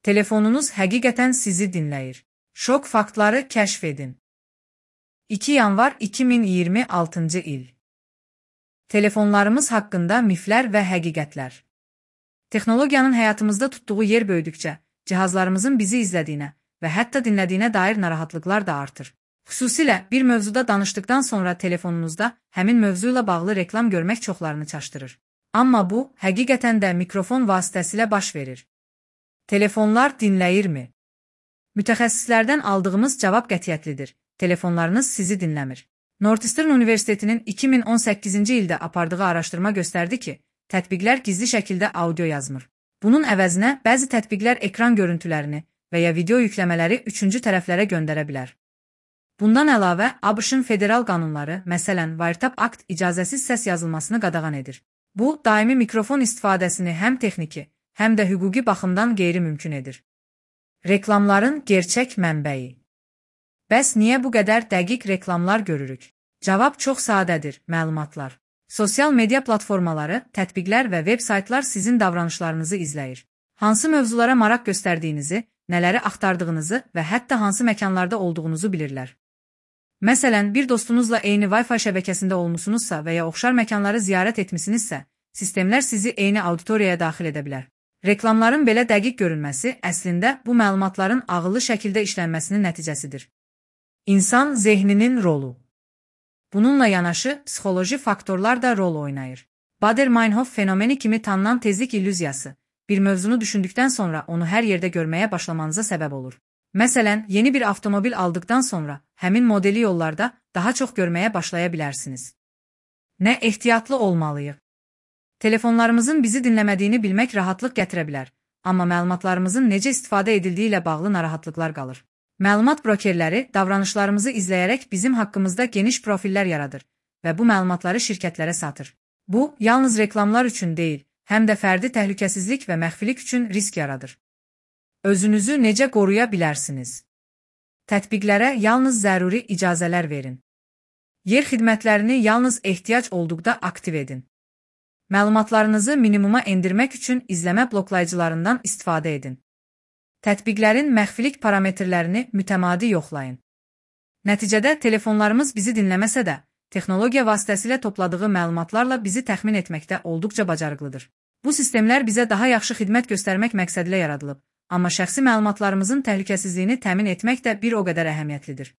Telefonunuz həqiqətən sizi dinləyir. Şok faktları kəşf edin. 2 yanvar 2026-cı il. Telefonlarımız haqqında miflər və həqiqətlər. Texnologiyanın həyatımızda tutduğu yer böyüdükcə, cihazlarımızın bizi izlədiyinə və hətta dinlədiyinə dair narahatlıqlar da artır. Xüsusilə bir mövzuda danışdıqdan sonra telefonunuzda həmin mövzu ilə bağlı reklam görmək çoxlarını çaşdırır. Amma bu, həqiqətən də mikrofon vasitəsilə baş verir. Telefonlar dinləyirmi? Mütəxəssislərdən aldığımız cavab qətiyyətlidir. Telefonlarınız sizi dinləmir. Northeastern Universitetinin 2018-ci ildə apardığı araşdırma göstərdi ki, tətbiqlər gizli şəkildə audio yazmır. Bunun əvəzinə bəzi tətbiqlər ekran görüntülərini və ya video yükləmələri üçüncü tərəflərə göndərə bilər. Bundan əlavə, ABŞ-ın federal qanunları, məsələn, Wiretap Act icazəsiz səs yazılmasını qadağan edir. Bu, daimi mikrofon istifadəsini həm texniki, həm də hüquqi baxımdan qeyri-mümkün edir. Reklamların gerçək mənbəyi. Bəs niyə bu qədər dəqiq reklamlar görürük? Cavab çox sadədir, məlumatlar. Sosial media platformaları, tətbiqlər və veb-saytlar sizin davranışlarınızı izləyir. Hansı mövzulara maraq göstərdiyinizi, nələri axtardığınızı və hətta hansı məkanlarda olduğunuzu bilirlər. Məsələn, bir dostunuzla eyni Wi-Fi şəbəkəsində olmusunuzsa və ya oxşar məkanları ziyarət etmisinizsə, sistemlər sizi eyni auditoriyaya daxil edə bilər. Reklamların belə dəqiq görünməsi əslində bu məlumatların ağıllı şəkildə işlənməsinin nəticəsidir. İnsan zehninin rolu. Bununla yanaşı, psixoloji faktorlar da rol oynayır. Bader-Meinhof fenomeni kimi tanınan tezlik illüziyası, bir mövzunu düşündükdən sonra onu hər yerdə görməyə başlamanıza səbəb olur. Məsələn, yeni bir avtomobil aldıqdan sonra həmin modeli yollarda daha çox görməyə başlaya bilərsiniz. Nə ehtiyatlı olmalıyıq? Telefonlarımızın bizi dinləmədiyini bilmək rahatlıq gətirə bilər, amma məlumatlarımızın necə istifadə edildiyi ilə bağlı narahatlıqlar qalır. Məlumat brokerləri davranışlarımızı izləyərək bizim haqqımızda geniş profillər yaradır və bu məlumatları şirkətlərə satır. Bu, yalnız reklamlar üçün deyil, həm də fərdi təhlükəsizlik və məxfilik üçün risk yaradır. Özünüzü necə qoruya bilərsiniz? Tətbiqlərə yalnız zəruri icazələr verin. Yer xidmətlərini yalnız ehtiyac olduqda aktiv edin. Məlumatlarınızı minimuma endirmək üçün izləmə bloklayıcılarından istifadə edin. Tətbiqlərin məxfilik parametrlərini mütəmadi yoxlayın. Nəticədə telefonlarımız bizi dinləməsə də, texnologiya vasitəsilə topladığı məlumatlarla bizi təxmin etməkdə olduqca bacarıqlıdır. Bu sistemlər bizə daha yaxşı xidmət göstərmək məqsədilə yaradılıb, amma şəxsi məlumatlarımızın təhlükəsizliyini təmin etmək də bir o qədər əhəmiyyətlidir.